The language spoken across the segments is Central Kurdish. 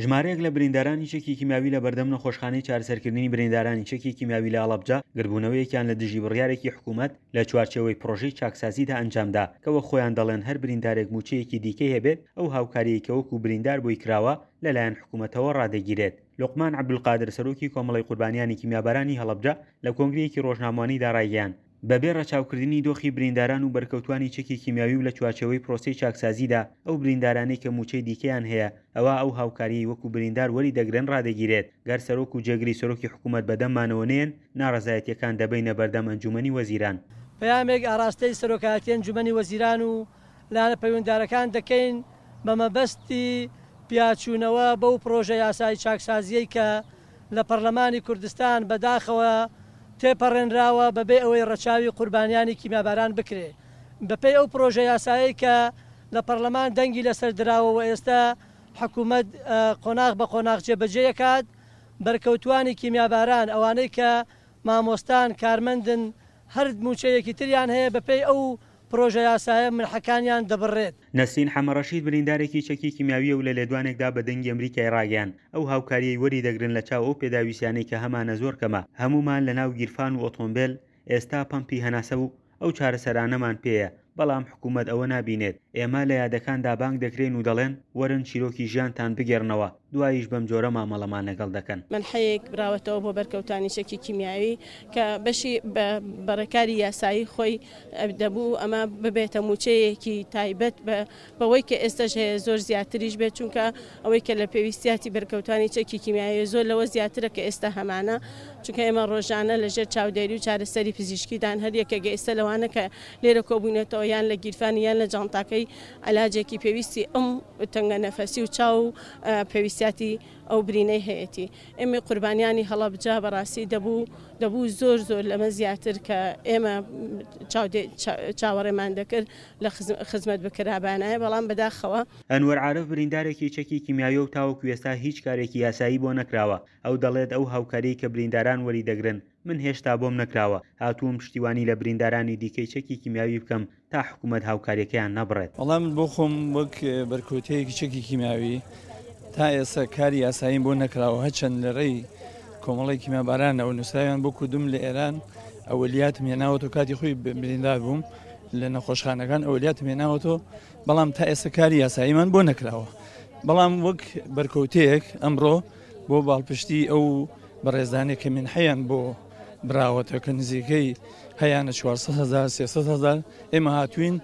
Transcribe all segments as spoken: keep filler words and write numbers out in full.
ژمارەیەک لە بریندارانی چەکی کیمیاوی لە بەردەم نەخۆشخانەی چارەسەرکردنی بریندارانی چەکی کیمیاوی لە هەڵەبجە گردبوونەوەیەکیان لە دژی بڕیارێکی حکوومەت لە چوارچێوەی پرۆژەی چاکسازیدا ئەنجامدا کە وەک خۆیان دەڵێن هەر بریندارێک مووچەیەکی دیکەی هەبێت ئەو هاوکاریەی کە وەکو بریندار بۆی کراوە لەلایەن حکوومەتەوە ڕادەگیرێت. لوقمان عەبدولقادر سەرۆکی کۆمەڵەی قوربانیانی کیمیابارانی هەڵەبجە لە کۆنگرەیەکی ڕۆژنامەوانیدا ڕایگەیاند، بەبێ ڕەچاوکردنی دۆخی برینداران و بەرکەوتوانی چەکی کیمیاوی و لە چوارچێوەی پرۆسەی چاکسازیدا ئەو بریندارانەی کە مووچەی دیکەیان هەیە ئەوا ئەو هاوکاریەی وەکو بریندار وەری دەگرن ڕادەگیرێت، گەر سەرۆک و جێگری سەرۆکی حکوومەت بەدەممانەوە نەیەن ناڕەزایەتیەکان دەبەینە بەردەم ئەنجومەنی وەزیران. پەیامێک ئاراستەی سەرۆکایەتی ئەنجومەنی وەزیران و لایەنە پەیوەندیدارەکان دەکەین بە مەبەستی پیاچوونەوە بەو پڕۆژە یاسای چاکسازییەی کە لە پەڕلەمانی کوردستان بەداخەوە تێپەڕێنراوە بەبێ ئەوەی ڕەچاوی قوربانیانی کیمیاباران بکرێ بەپێی ئەو پڕۆژە یاسایەی کە لە پەڕلەمان دەنگی لەسەر دراوە و ئێستا حکومەت قۆناغ بە قۆناغ جێبەجێی ئەکات بەرکەوتوانی کیمیاباران ئەوانەی کە مامۆستان کارمەندن هەر مووچەیەکی تریان هەیە بەپێی ئەو پرۆژە یاسایە منحەکانیان دەبڕرێت. نەسرین حەمەڕەشید بریندارێکی چەکی کیمیاوییە و لە لێدوانێکدا بە دەنگی ئەمریکای ڕاگەیاند، ئەو هاوکارییەی وەری دەگرن لە چاو ئەو پێداویستیانەی کە هەمانە زۆر کەمە، هەموومان لە ناو گیرفان و ئۆتۆمبێل ئێستا پەمپی هەناسە و ئەو چارەسەرانەمان پێیە، بەڵام حکومەت ئەوە نابینێت، ئێمە لە یادەکاندا بانگ دەکرێین و دەڵێن وەرن چیرۆکی ژیانتان بگێڕنەوە، دواییش بەمجۆرە مامەڵەمان لەگەڵ دەکەن. مەنحەیەک براوەتەوە بۆ بەرکەوتانی چەکی کیمیاوی کە بەشی بە ڕێکاری یاسایی خۆی دەبوو ئەمە ببێتە مووچەیەکی تایبەت بەوەی کە ئێستاش هەیە زۆر زیاتریش بێت، چونکە ئەوەی کە لە پێویستیاتی بەرکەوتانی چەکی کیمیاوی زۆر لەوە زیاترە کە ئێستا هەمانە، چونکە ئێمە ڕۆژانە لەژێر چاودێری و چارەسەری پزیشکیدان هەر یەکێک ئێستا لەوانە کە لێرە کۆبوونەتەوە یان لە گیرفانی یان لە جانتاکەی علاجێکی پێویستی ئەم تەنگە نەفەسی و چاو و پێویستیاتی ئەو برینەی هەیەتی. ئێمە قوربانیانی هەڵەبجە بەڕاستی دەبوو دەبوو زۆر زۆر لەمە زیاتر کە ئێمە چاوەڕێمان دەکرد لە خزمەت بکرابانایە، بەڵام بەداخەوە. ئەنوەر عارف بریندارێکی چەکی کیمیاویە و تاوەکو ئێستا هیچ کارێکی یاسایی بۆ نەکراوە. ئەو دەڵێت ئەو هاوکاریەی کە برینداران وەری دەگرن من هێشتا بۆم نەکراوە، هاتووم پشتیوانی لە بریندارانی دیکەی چەکی کیمیاوی بکەم تا حکوومەت هاوکاریەکەیان نەبڕێت. وەڵا من بۆ خۆم وەک بەرکەوتەیەکی چەکی کیمیاوی تا ئێستا کاری یاساییم بۆ نەکراوە، هەرچەند لە ڕێی کۆمەڵی کیمیابارانەوە نووسراویان بۆ کردوم لە ئێران ئەولیاتم هێناوەتەوە، کاتی خۆی بریندار بووم لە نەخۆشخانەکان ئەولیاتم هێناوەتەوە، بەڵام تا ئێستا کاری یاساییمان بۆ نەکراوە. بەڵام وەک بەرکەوتەیەک ئەمڕۆ بۆ باڵپشتی ئەو بەڕێزانێک کە منحەیان بۆ براوەتە کە نزیکەی هەیانە چوارسەد هەزار سێسەد هەزار، ئێمە هاتوین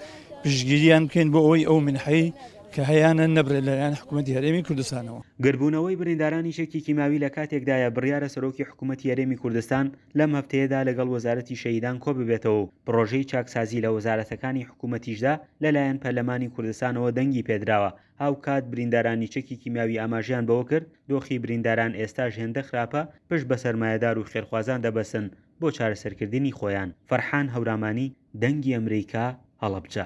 پشتگیریان بکەین بۆ ئەوەی ئەو منحەی کە هەیانە نەبرێت لەلایەن حکوومەتی هەرێمی کوردستانەوە. گردبوونەوەی بریندارانی چەکی کیماوی لە کاتێکدایە بڕیارە سەرۆکی حکوومەتی هەرێمی کوردستان لەم هەفتەیەدا لەگەڵ وەزارەتی شەهیدان کۆ ببێتەوە و پڕۆژەی چاکسازی لە وەزارەتەکانی حکوومەتیشدا لەلایەن پەرلەمانی کوردستانەوە دەنگی پێدراوە. هاوکات بریندارانی چەکی کیمیاوی ئاماژەیان بەوە کرد دۆخی برینداران ئێستاش هێندە خراپە پشت بە سەرمایەدار و خێرخوازان دەبەستن بۆ چارەسەرکردنی خۆیان. فەرحان هەورامانی، دەنگی ئەمریکا، هەڵەبجە.